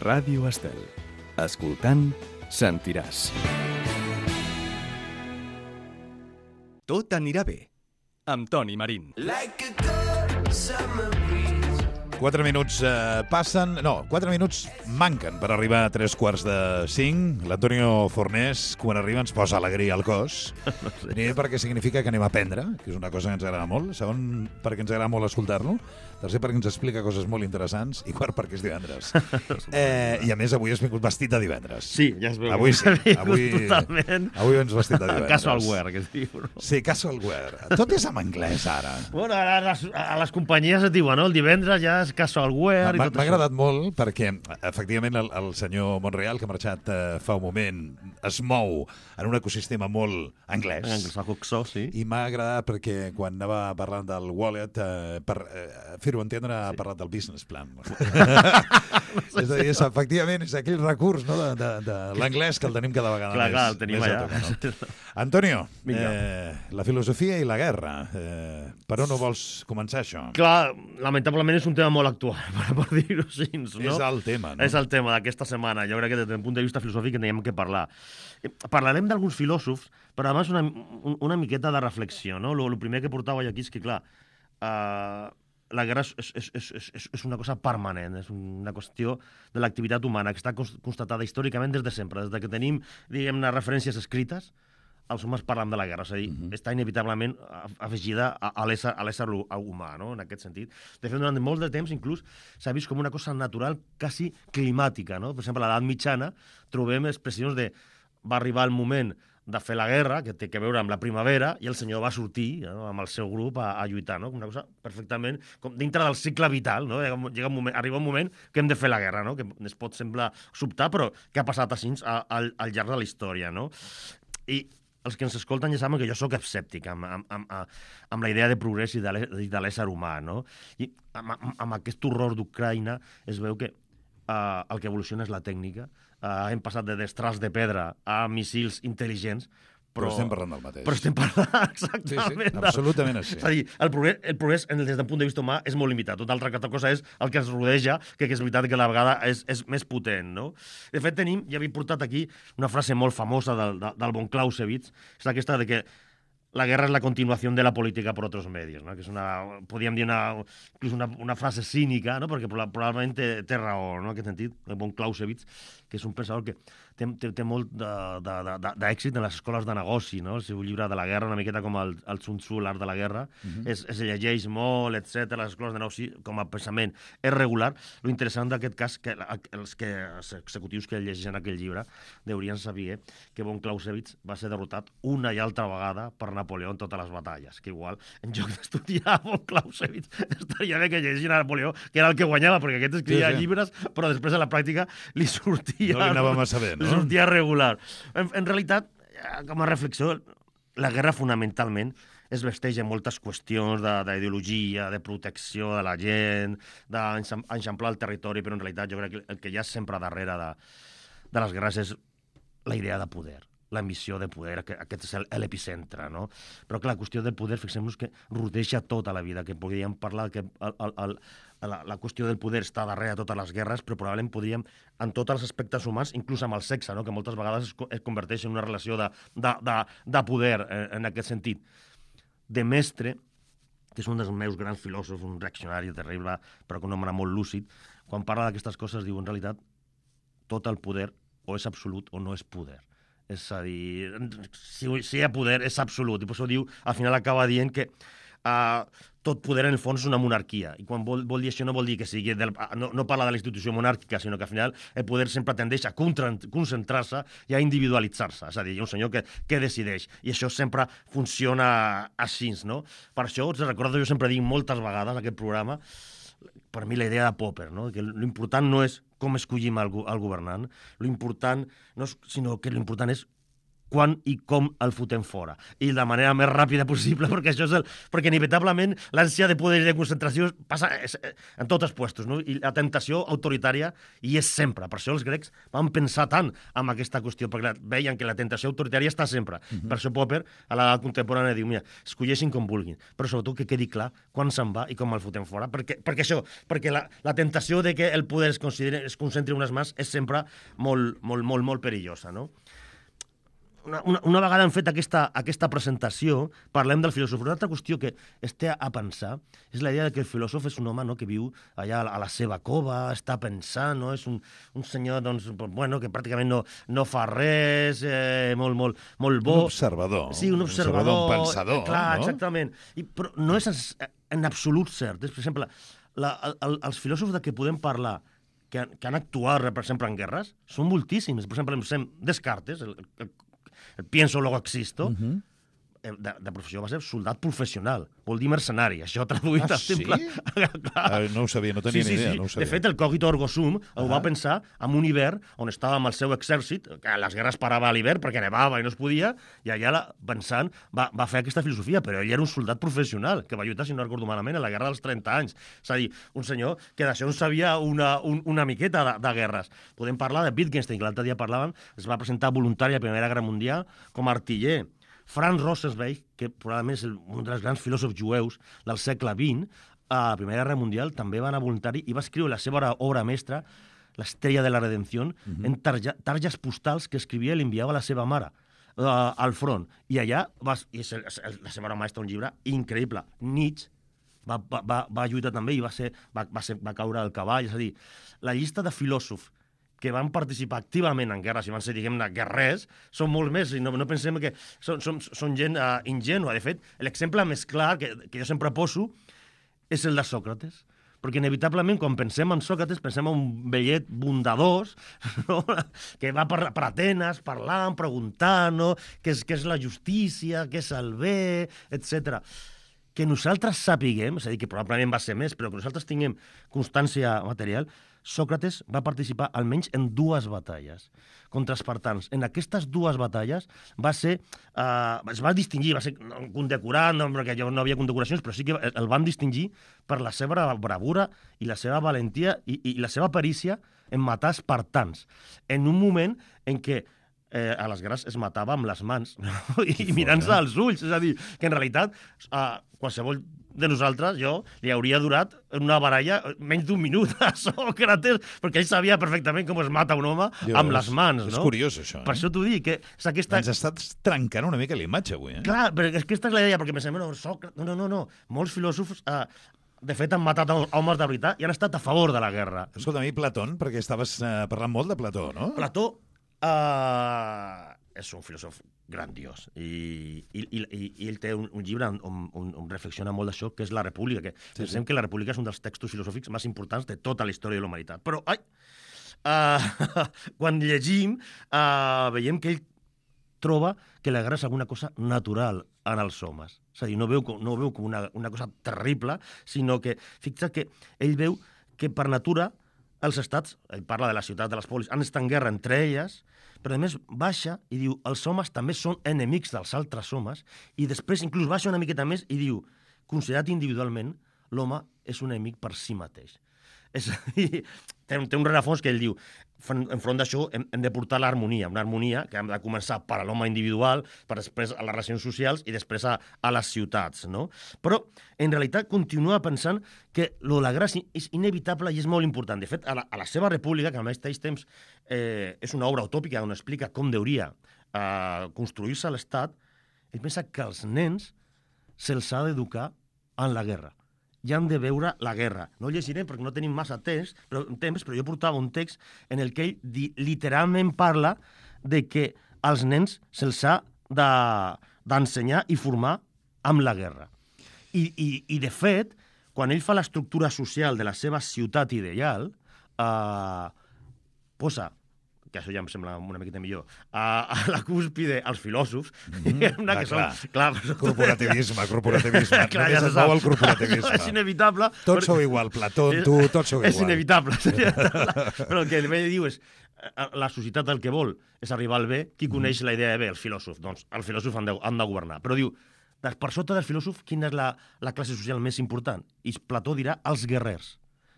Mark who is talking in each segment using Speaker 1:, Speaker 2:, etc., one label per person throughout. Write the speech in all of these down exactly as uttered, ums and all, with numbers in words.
Speaker 1: Ràdio Estel. Escoltant, sentiràs. Tot anirà bé, amb Toni Marín.
Speaker 2: Like a good summer breeze.
Speaker 3: Quatre minuts eh, passen... No, quatre minuts manquen per arribar a tres quarts de cinc. L'Antonio Fornés, quan arriba, ens posa alegria al cos. No sé. Primer, perquè significa que anem a aprendre, que és una cosa que ens agrada molt. Segon, perquè ens agrada molt escoltar-lo. Tercer, perquè ens explica coses molt interessants. I quart, perquè és divendres. eh, I a més, avui has vingut vestit de divendres.
Speaker 4: Sí, ja es veu.
Speaker 3: Avui sí. Avui,
Speaker 4: totalment.
Speaker 3: Avui vens vestit de divendres.
Speaker 4: Casual wear, que es diu. No?
Speaker 3: Sí, casual wear. Tot és en anglès, ara.
Speaker 4: Bueno, a les, a les companyies es diuen, no? El divendres ja és casual wear i
Speaker 3: M'ha
Speaker 4: tot
Speaker 3: m'ha
Speaker 4: això.
Speaker 3: agradat molt perquè, efectivament, el, el senyor Monreal, que ha marxat eh, fa un moment, es mou en un ecosistema molt anglès.
Speaker 4: Anglosaxó, sí.
Speaker 3: I m'ha agradat perquè quan anava parlant del wallet, eh, per eh, fer-ho entendre, ha
Speaker 4: Sí.
Speaker 3: parlat del business plan. És a dir, és, efectivament, és aquell recurs, no, de, de, de l'anglès que el tenim cada vegada
Speaker 4: Clar,
Speaker 3: més.
Speaker 4: clar, el tenim
Speaker 3: més
Speaker 4: allà.
Speaker 3: a tocar, no? Antonio,
Speaker 4: Vinga.
Speaker 3: eh, la filosofia i la guerra. Eh, per on no vols començar, això?
Speaker 4: Clar, lamentablement és un tema molt actual, per, per dir-ho així, no?
Speaker 3: És el tema, no?
Speaker 4: És el tema d'aquesta setmana. Jo crec que des del punt de vista filosòfic en teníem que parlar. Eh, Parlarem d'alguns filòsofs, però a més una, una miqueta de reflexió, no? El primer que portava jo aquí és que, clar, eh, la guerra és, és, és, és, és una cosa permanent, és una qüestió de l'activitat humana que està constatada històricament des de sempre, des de que tenim, diguem-ne, referències escrites, els homes parlen de la guerra, és a dir, uh -huh. està inevitablement afegida a, a l'ésser humà, no?, en aquest sentit. De fet, durant molt de temps, inclús, s'ha vist com una cosa natural, quasi climàtica, no? Per exemple, a l'edat mitjana trobem expressions de va arribar el moment de fer la guerra, que té a veure amb la primavera, i el senyor va sortir, no?, amb el seu grup a, a lluitar, no? Una cosa perfectament com dintre del cicle vital, no? Llega un moment, arriba un moment que hem de fer la guerra, no? Que es pot semblar sobtar, però que ha passat així al, al llarg de la història, no? I els que ens escolten ja saben que jo sóc escèptic amb, amb, amb, amb la idea de progrés i de l'ésser humà, no? I amb, amb, amb aquest horror d'Ucraïna es veu que uh, el que evoluciona és la tècnica. Uh, hem passat de destrals de pedra a missils intel·ligents,
Speaker 3: Però,
Speaker 4: però
Speaker 3: estem parlant del mateix.
Speaker 4: Però estem parlant exactament.
Speaker 3: Sí, sí, absolutament així.
Speaker 4: És a dir, el progrés, el progrés des del punt de vista humà és molt limitat. Tota altra cosa és el que ens rodeja, que és veritat que a la vegada és, és més potent, no? De fet, tenim, ja havia portat aquí una frase molt famosa del, del bon Clausewitz, és aquesta de que la guerra és la continuació de la política per altres medis, no? Que és una, podríem dir una, una, una frase cínica, no? Perquè probablement té, té raó, no?, en aquest sentit, el bon Clausewitz, que és un pensador que té, té, té molt d'èxit en les escoles de negoci, no? El seu llibre de la guerra, una miqueta com el, el Sun Tzu, l'art de la guerra, uh-huh. es, es llegeix molt, etcètera. Les escoles de negoci, com a pensament, és regular. Lo interessant d'aquest cas, que els, que els executius que llegeixen aquell llibre deurien saber que bon Clausewitz va ser derrotat una i altra vegada per Napoleó en totes les batalles, que igual, en lloc d'estudiar bon Clausewitz, estaria bé que llegissin a Napoleó, que era el que guanyava, perquè aquest escrivia sí, sí. llibres, però després a la pràctica li sortia...
Speaker 3: No li anava massa bé, no?
Speaker 4: Li sortia regular. En, en realitat, com a reflexió, la guerra fonamentalment es vesteix en moltes qüestions d'ideologia, de, de protecció de la gent, d'enxamplar el territori, però en realitat jo crec que el que hi ha sempre darrere de, de les guerres és la idea de poder, l'ambició de poder, aquest és l'epicentre, no? Però que la qüestió del poder, fixem-nos que rodeja tota la vida, que podríem parlar que el, el, el, la, la qüestió del poder està darrere de totes les guerres, però probablement podríem, en tots els aspectes humans, inclús amb el sexe, no?, que moltes vegades es, es converteix en una relació de, de, de, de poder en, en aquest sentit. De Mestre, que és un dels meus grans filòsofs, un reaccionari terrible, però que un home molt lúcid, quan parla d'aquestes coses diu, en realitat, tot el poder o és absolut o no és poder. És a dir, si, si hi ha poder és absolut, i per això diu, al final acaba dient que uh, tot poder en el fons és una monarquia, i quan vol, vol dir això no vol dir que sigui, del, no, no parla de la institució monàrquica, sinó que al final el poder sempre tendeix a concentrar-se i a individualitzar-se, és a dir, hi ha un senyor que, que decideix, i això sempre funciona així, no? Per això, us recordo, jo sempre dic moltes vegades aquest programa, per mi la idea de Popper, no?, que l'important no és com escollim el, el governant, l'important no és, sinó que l'important és quan i com el fotem fora. I de la manera més ràpida possible, perquè això és el... Perquè inevitablement l'ànsia de poder i de concentració passa en tots els puestos, no? I la tentació autoritària hi és sempre. Per això els grecs van pensar tant en aquesta qüestió, perquè veien que la tentació autoritària està sempre. Uh-huh. Per això Popper, a l'edat contemporània, diu, mira, escolleixin com vulguin, però sobretot que quedi clar quan se'n va i com el fotem fora. Perquè, perquè això, perquè la, la tentació de que el poder es, es concentri en unes mans és sempre molt, molt, molt, molt perillosa, no? Una, una, una vegada hem fet aquesta, aquesta presentació, parlem del filòsof. Una altra qüestió que es té a pensar és la idea de que el filòsof és un home, no?, que viu allà a la seva cova, està pensant, no? És un, un senyor doncs, bueno, que pràcticament no, no fa res, eh, molt, molt, molt bo.
Speaker 3: Un observador.
Speaker 4: Sí, un observador.
Speaker 3: Un, un pensador,
Speaker 4: clar,
Speaker 3: no?
Speaker 4: Exactament. I, però no és en absolut cert. És, per exemple, la, el, els filòsofs de què podem parlar que, que han actuat, per exemple, en guerres, són moltíssims. Per exemple, Descartes, el, el el pienso, luego existo, uh-huh. de, de professió va ser soldat professional, vol dir mercenari, això traduït
Speaker 3: ah,
Speaker 4: al simple.
Speaker 3: Sí? ah, no ho sabia, no tenia
Speaker 4: sí, sí,
Speaker 3: ni idea.
Speaker 4: Sí.
Speaker 3: No ho sabia.
Speaker 4: De fet, el cogito ergo sum ho
Speaker 3: ah.
Speaker 4: va pensar en un hivern on estava amb el seu exèrcit, que a les guerres parava a l'hivern perquè nevava i no es podia, i allà, la, pensant, va, va fer aquesta filosofia, però ell era un soldat professional, que va lluitar, si no recordo malament, a la guerra dels trenta anys. És a dir, un senyor que d'això en sabia una, un, una miqueta de, de guerres. Podem parlar de Wittgenstein, que l'altre dia parlàvem, es va presentar voluntari a la Primera Guerra Mundial com a artiller. Franz Rosenzweig, que probablement és un dels grans filòsofs jueus del segle vint, a la Primera Guerra Mundial també va anar voluntari i va escriure la seva obra mestra, L'Estrella de la Redempció, uh-huh. en tarja, targes postals que escrivia i li enviava a la seva mare uh, al front. I allà va, i és el, el, la seva obra mestra, un llibre increïble. Nietzsche va, va, va lluitar també i va, ser, va, va, ser, va caure del cavall. És a dir, la llista de filòsofs que van participar activament en guerres i van ser, diguem-ne, guerrers, són molt més, i no, no pensem que són, són, són gent uh, ingènua. De fet, l'exemple més clar que, que jo sempre poso és el de Sòcrates, perquè inevitablement quan pensem en Sòcrates pensem en un vellet bondadós, no? Que va per, per Atenes parlant, preguntant, no? què, és, què és la justícia, què és el bé, etcètera. Que nosaltres sapiguem, és a dir, que probablement va ser més, però que nosaltres tinguem constància material, Sòcrates va participar almenys en dues batalles contra espartans. En aquestes dues batalles va ser, uh, es va distingir, va ser condecorat, no, perquè no havia condecoracions, però sí que el van distingir per la seva bravura i la seva valentia i, i la seva perícia en matar espartans. En un moment en què eh, a les guerres es matava amb les mans, no? I mirant-se als ulls. És a dir, que en realitat uh, qualsevol de nosaltres, jo, li hauria durat una baralla menys d'un minut a Sòcrates, perquè ell sabia perfectament com es mata un home Dios, amb les mans, no?
Speaker 3: És curiós, això. Eh?
Speaker 4: Per això t'ho dic, que és aquesta...
Speaker 3: Ens estàs trencant una mica l'imatge, avui, eh?
Speaker 4: Clar, però és que aquesta és la idea, perquè pensem, no, Sòcrates... No, no, no, no. Molts filòsofs, eh, de fet, han matat homes de veritat i han estat a favor de la guerra.
Speaker 3: Escolta, a mi Platón, perquè estaves eh, parlant molt de Plató, no?
Speaker 4: Plató eh, és un filòsof grandiós. I, i, i, i ell té un, un llibre on, on, on reflexiona molt d'això, que és La República, que sí, pensem sí. que La República és un dels textos filosòfics més importants de tota la història de la humanitat. Però, ai, uh, quan llegim, uh, veiem que ell troba que la guerra és alguna cosa natural en els homes. És a dir, no veu, no veu com una, una cosa terrible, sinó que, fixa't que ell veu que per natura els estats, ell parla de la ciutat, de les polis, han estat en guerra entre elles, però a més baixa i diu els homes també són enemics dels altres homes, i després inclús baixa una miqueta més i diu, considerat individualment, l'home és un enemic per si mateix. És a dir, té un, té un rerefons que ell diu, enfront d'això hem, hem de portar l'harmonia, una harmonia que hem de començar per a l'home individual, per després a les relacions socials i després a, a les ciutats, no? Però, en realitat, continua pensant que lo de la guerra és inevitable i és molt important. De fet, a la, a la seva república, que al mateix temps eh, és una obra utòpica on explica com hauria eh, construir-se l'Estat, ell pensa que els nens se'ls ha d'educar en la guerra. Ja han de veure la guerra. No llegiré perquè no tenim massa temps, però, temps, però jo portava un text en el que ell di, literalment parla de que als nens se'ls ha d'ensenyar i formar amb la guerra. I, i, I, de fet, quan ell fa l'estructura social de la seva ciutat ideal, eh, posa, que això ja em sembla una miqueta millor, a, a la cúspide els filòsofs, mm, una
Speaker 3: ah,
Speaker 4: que
Speaker 3: clar.
Speaker 4: són... Clar,
Speaker 3: corporativisme, corporativisme.
Speaker 4: Clar,
Speaker 3: Només
Speaker 4: ja
Speaker 3: es veu el corporativisme.
Speaker 4: És inevitable.
Speaker 3: Tots sou igual, Plató, tu, tots sou igual.
Speaker 4: És inevitable. Però el que ell diu és, eh, la societat el que vol és arribar al bé, qui coneix la idea de bé? El filòsof. Doncs el filòsof han de, han de governar. Però diu, per sota del filòsof, quina és la, la classe social més important? I Plató dirà els guerrers.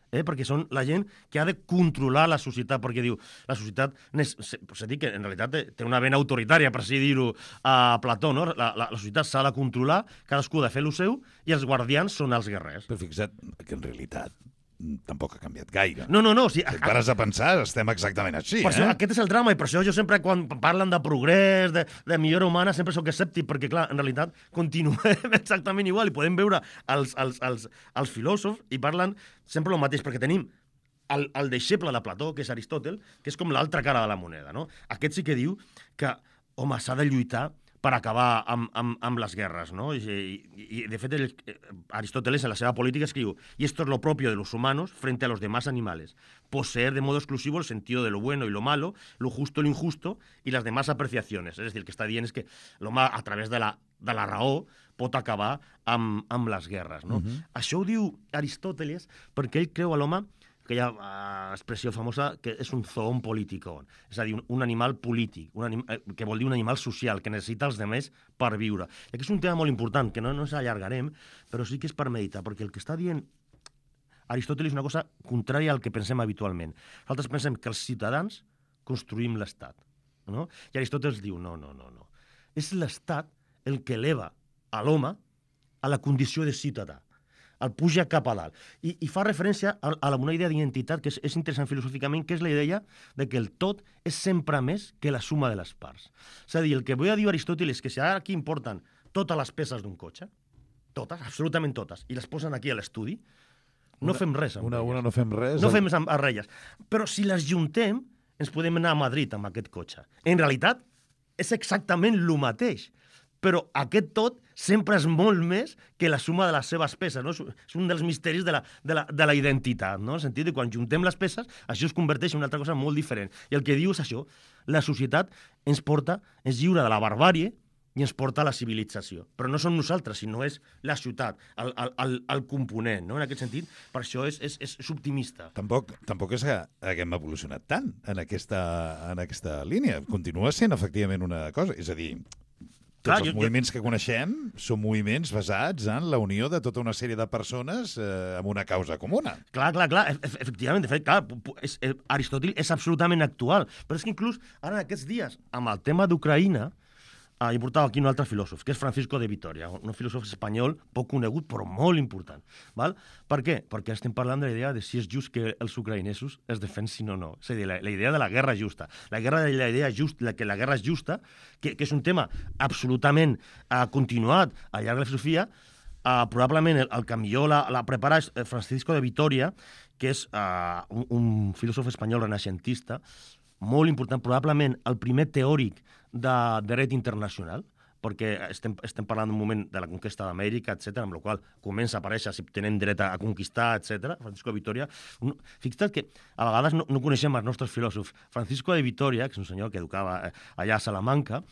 Speaker 4: Eh? Perquè són la gent que ha de controlar la societat, perquè diu, la societat, s'ha dit que en realitat té una vena autoritària, per així dir-ho a Plató, no? La, la, la societat s'ha de controlar, cadascú ha de fer el seu, i els guardians són els guerrers.
Speaker 3: Però fixa't que en realitat tampoc ha canviat gaire.
Speaker 4: No, no, no. O sigui,
Speaker 3: si et pares a pensar, estem exactament així,
Speaker 4: per
Speaker 3: eh?
Speaker 4: això, aquest és el drama, i per això jo sempre, quan parlen de progrés, de, de millora humana, sempre sóc escèptic, perquè, clar, en realitat continuem exactament igual, i podem veure els, els, els, els filòsofs, i parlen sempre el mateix, perquè tenim el, el deixeble de Plató, que és Aristòtel, que és com l'altra cara de la moneda, no? Aquest sí que diu que, home, s'ha de lluitar per acabar amb, amb, amb les guerres, ¿no? Y, y, y de fet, el, Aristóteles en la seva política escriu y esto es lo propio de los humanos frente a los demás animales, poseer de modo exclusivo el sentido de lo bueno y lo malo, lo justo y lo injusto y las demás apreciaciones. És a dir, el que està dient és que l'home, a través de la, de la raó, pot acabar amb, amb les guerres, no? Uh-huh. Això ho diu Aristóteles perquè ell creu a l'home, aquella uh, expressió famosa, que és un zoon político, és a dir, un, un animal polític, un anim, eh, que vol dir un animal social, que necessita els demés per viure. I aquí és un tema molt important, que no, no ens allargarem, però sí que és per meditar, perquè el que està dient Aristòteles és una cosa contrària al que pensem habitualment. Nosaltres pensem que els ciutadans construïm l'Estat, no? I Aristòteles diu, no, no, no, no. És l'Estat el que eleva a l'home a la condició de ciutadà, el puja cap a dalt. I, i fa referència a, a una idea d'identitat que és, és interessant filosòficament, que és la idea de que el tot és sempre més que la suma de les parts. És a dir, el que vull dir Aristòteles és que si ara aquí importen totes les peces d'un cotxe, totes, absolutament totes, i les posen aquí a l'estudi, no
Speaker 3: una,
Speaker 4: fem res amb
Speaker 3: una,
Speaker 4: elles.
Speaker 3: Una no fem res.
Speaker 4: No fem res amb elles. Però si les juntem, ens podem anar a Madrid amb aquest cotxe. En realitat, és exactament el mateix. Però aquest tot sempre és molt més que la suma de les seves peces, no? És un dels misteris de la, de la, de la identitat, no? En el sentit que quan juntem les peces, això es converteix en una altra cosa molt diferent. I el que diu és això, la societat ens porta, ens lliura de la barbàrie i ens porta a la civilització. Però no som nosaltres, sinó és la ciutat, el, el, el, el component, no? En aquest sentit, per això és, és, és optimista.
Speaker 3: Tampoc, tampoc és que haguem evolucionat tant en aquesta, en aquesta línia. Continua sent, efectivament, una cosa. És a dir, tots
Speaker 4: Clar,
Speaker 3: els
Speaker 4: jo,
Speaker 3: moviments que coneixem són moviments basats en la unió de tota una sèrie de persones eh, amb una causa comuna.
Speaker 4: Clar, clar, clar, e efectivament, de fet, clar, és, és, Aristòtil és absolutament actual, però és que inclús ara en aquests dies, amb el tema d'Ucraïna, ah, hi portava aquí un altre filòsof, que és Francisco de Vitoria, un filòsof espanyol poc conegut, però molt important. Val? Per què? Perquè estem parlant de la idea de si és just que els ucraïnesos es defensin o no. És a dir, la, la idea de la guerra justa. La guerra de la idea just, la, que la guerra és justa, que, que és un tema absolutament uh, continuat al llarg de la filosofia, uh, probablement el, el que millor la, la prepara és Francisco de Vitoria, que és uh, un, un filòsof espanyol renaixentista, molt important, probablement el primer teòric de dret internacional, perquè estem, estem parlant d'un moment de la conquesta d'Amèrica, etcètera, amb la qual comença a aparèixer si tenem dret a, a conquistar, etcètera. Francisco de Vitoria. Un, fixa't que a vegades no, no coneixem els nostres filòsofs. Francisco de Vitoria, que és un senyor que educava allà a Salamanca,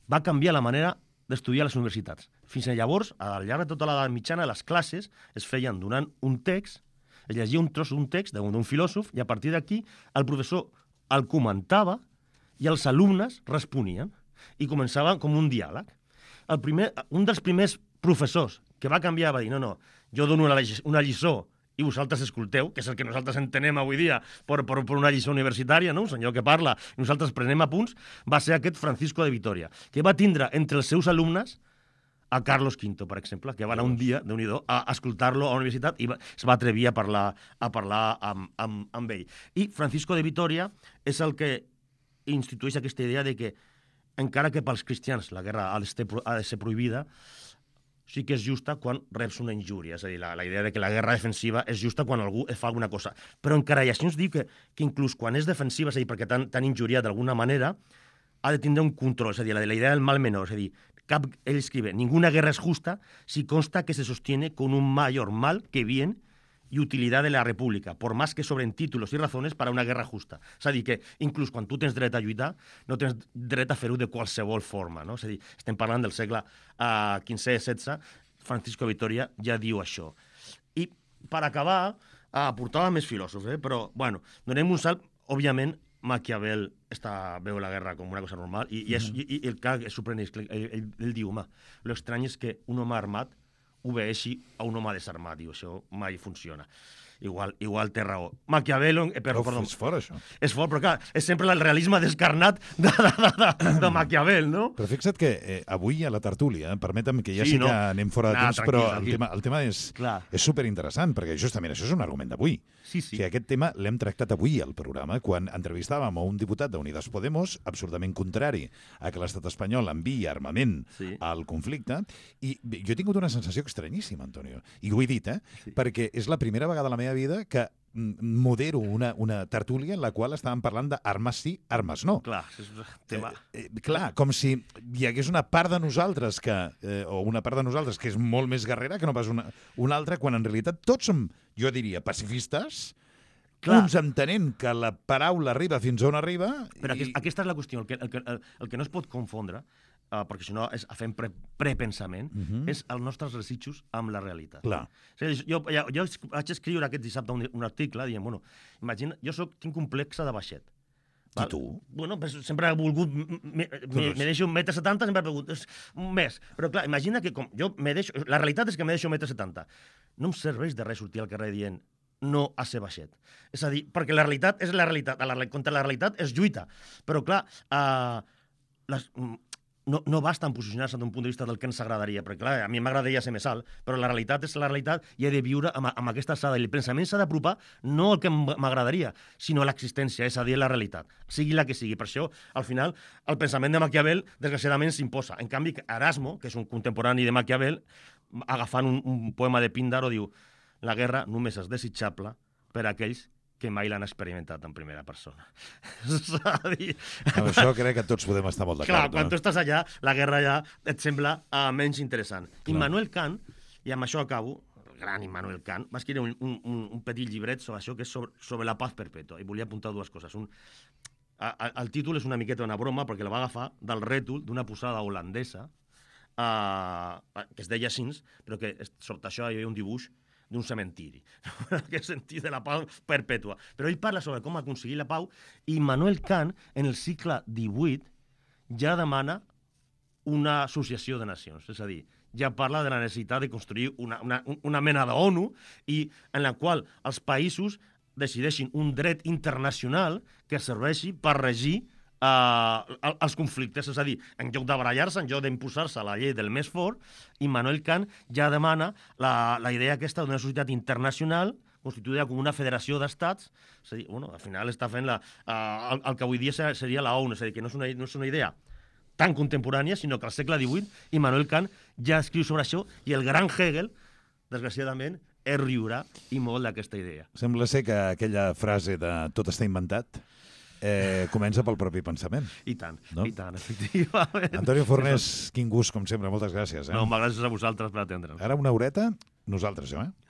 Speaker 4: va canviar la manera d'estudiar a les universitats. Fins a llavors, al llarg de tota l'edat mitjana, les classes es feien donant un text, es llegia un tros d'un text d'un filòsof, i a partir d'aquí el professor el comentava i els alumnes responien i començava com un diàleg. El primer, un dels primers professors que va canviar va dir no, no, jo dono una, una lliçó i vosaltres escolteu, que és el que nosaltres entenem avui dia per, per, per una lliçó universitària, no? Un senyor que parla i nosaltres prenem apunts, va ser aquest Francisco de Vitoria, que va tindre entre els seus alumnes a Carlos quinto, per exemple, que va anar un dia, déu-n'hi-do, a escoltar-lo a la universitat i va, es va atrevir a parlar, a parlar amb, amb, amb ell. I Francisco de Vitoria és el que institueix aquesta idea de que, encara que pels cristians la guerra ha de ser, ha de ser prohibida, sí que és justa quan reps una injúria. És a dir, la, la idea de que la guerra defensiva és justa quan algú fa alguna cosa. Però encara i així ens diu que, que inclús quan és defensiva, és a dir, perquè t'han injuriat d'alguna manera, ha de tindre un control, és a dir, la, la idea del mal menor, és a dir, Cap, él escribe, ninguna guerra es justa si consta que se sostiene con un mayor mal que bien y utilidad de la república, por más que sobren títulos y razones para una guerra justa. És a dir, que inclús quan tu tens dret a lluitar, no tens dret a fer-ho de qualsevol forma, no? És a dir, estem parlant del segle uh, quinze setze, Francisco Vitoria ja diu això. I per acabar, uh, portava més filòsofs, eh? Però, bueno, donem un salt, òbviament, Maquiavel està, veu la guerra com una cosa normal i, i, és, i, i el que és sorprenent, ell, ell, ell diu, home, l'estrany és que un home armat obeeixi a un home desarmat, diu, això mai funciona. Igual, igual té raó. Maquiavelo... Eh, però,
Speaker 3: Uf,
Speaker 4: perdó,
Speaker 3: és fort, això.
Speaker 4: és fort, però clar, és sempre el realisme descarnat de, de, de, de, de Maquiavel, no?
Speaker 3: Però fixa't que eh, avui a la tertúlia, permetem que ja sí,
Speaker 4: Sí,
Speaker 3: sí
Speaker 4: no?
Speaker 3: que anem fora de
Speaker 4: Nah,
Speaker 3: temps,
Speaker 4: tranquil,
Speaker 3: però
Speaker 4: tranquil.
Speaker 3: el tema, el tema és,
Speaker 4: Clar.
Speaker 3: és superinteressant, perquè justament això és un argument d'avui.
Speaker 4: Sí, sí.
Speaker 3: O sigui, aquest tema l'hem tractat avui al programa, quan entrevistàvem a un diputat d'Unides Podemos, absolutament contrari a que l'estat espanyol enviï armament
Speaker 4: Sí.
Speaker 3: al conflicte, i bé, jo he tingut una sensació estranyíssima, Antonio, i ho he dit, eh?
Speaker 4: Sí.
Speaker 3: Perquè és la primera vegada a la meva vida que mm, modero una, una tertúlia en la qual estàvem parlant d'armes sí, armes no.
Speaker 4: Clar, és un tema...
Speaker 3: Eh, eh, clar, com si hi hagués una part de nosaltres que, eh, o una part de nosaltres que és molt més guerrera que no pas una, una altra, quan en realitat tots som, jo diria, pacifistes,
Speaker 4: Clar.
Speaker 3: uns entenent que la paraula arriba fins on arriba...
Speaker 4: Però
Speaker 3: i...
Speaker 4: aquest, aquesta és la qüestió. El que, el que, el, el que no es pot confondre, uh, perquè si no és, fem pre, prepensament, uh -huh. és els nostres desitjos amb la realitat.
Speaker 3: Clar.
Speaker 4: O sigui, jo, jo, jo vaig escriure aquest dissabte un, un article dient, bueno, imagina, jo soc, tinc complexa de baixet.
Speaker 3: I tu?
Speaker 4: Bueno, pues, sempre he volgut... Me, me, me deixo un metre setanta, sempre he volgut és un mes. Però clar, imagina que com jo me deixo... La realitat és que me deixo un metre setanta. No em serveix de res sortir al carrer dient no a ser baixet. És a dir, perquè la realitat és la realitat. La, contra la realitat és lluita. Però clar, uh, les, no, no basta en posicionar-se d'un punt de vista del que ens agradaria, perquè clar, a mi m'agradaria ser més alt, però la realitat és la realitat i he de viure amb, amb aquesta alçada. I el pensament s'ha d'apropar no al que m'agradaria, sinó a l'existència, és a dir, la realitat, sigui la que sigui. Per això, al final, el pensament de Maquiavel, desgraciadament, s'imposa. En canvi, Erasmo, que és un contemporani de Maquiavel, agafant un, un poema de Píndaro, diu: la guerra només és desitjable per a aquells que mai l'han experimentat en primera persona. És a dir...
Speaker 3: Amb això crec que tots podem estar molt d'acord.
Speaker 4: Clar, quan
Speaker 3: no?
Speaker 4: tu estàs allà, la guerra ja et sembla uh, menys interessant.
Speaker 3: Clar.
Speaker 4: Immanuel Kant, i amb això acabo, el gran Immanuel Kant, va escriure un, un, un petit llibret sobre això, que és sobre, sobre la paz perpètua, i volia apuntar dues coses. Un, a, a, el títol és una miqueta una broma, perquè la va agafar del rètol d'una posada holandesa, uh, que es deia així, però que sota això hi havia un dibuix d'un cementiri, en aquest sentit de la pau perpètua. Però ell parla sobre com aconseguir la pau i Immanuel Kant, en el segle divuit, ja demana una associació de nacions. És a dir, ja parla de la necessitat de construir una, una, una mena d'ONU i en la qual els països decideixin un dret internacional que serveixi per regir Uh, els conflictes, és a dir, en lloc de barallar-se, en lloc d'imposar-se la llei del més fort, Immanuel Kant ja demana la, la idea aquesta d'una societat internacional constituïda com una federació d'estats, és a dir, bueno, al final està fent la, uh, el, el que avui dia seria la ONU, és a dir, que no és una, no és una idea tan contemporània, sinó que al segle divuit Immanuel Kant ja escriu sobre això i el gran Hegel, desgraciadament, es riurà i molt d'aquesta idea.
Speaker 3: Sembla ser que aquella frase de tot està inventat Eh, comença pel propi pensament.
Speaker 4: I tant,
Speaker 3: No?
Speaker 4: i tant, efectivament.
Speaker 3: Antonio Fornés, quin gust, com sempre. Moltes gràcies. Eh?
Speaker 4: No, gràcies a vosaltres per atendre'ns.
Speaker 3: Ara una horeta, nosaltres, jo, eh?